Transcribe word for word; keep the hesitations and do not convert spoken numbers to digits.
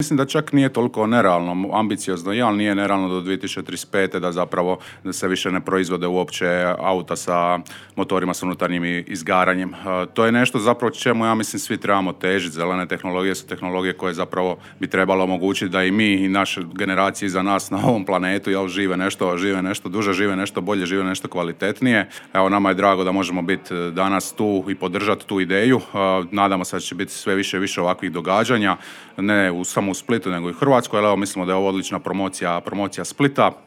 Mislim da čak nije toliko nerealno, ambiciozno, ali nije nerealno do dvije tisuće trideset pete da zapravo da se više ne proizvode uopće auta sa motorima s unutarnjim izgaranjem. To je nešto zapravo čemu ja mislim svi trebamo težiti. Zelene tehnologije su tehnologije koje zapravo bi trebalo omogućiti da i mi i naše generacije iza nas na ovom planetu jel, žive nešto, žive nešto duže, žive nešto bolje, žive nešto kvalitetnije. Evo, nama je drago da možemo biti danas tu i podržati tu ideju. Nadamo se da će biti sve više i više ovakvih događanja, ne u samo u Splitu nego i u Hrvatskoj, ali evo mislimo da je ovo odlična promocija, promocija Splita.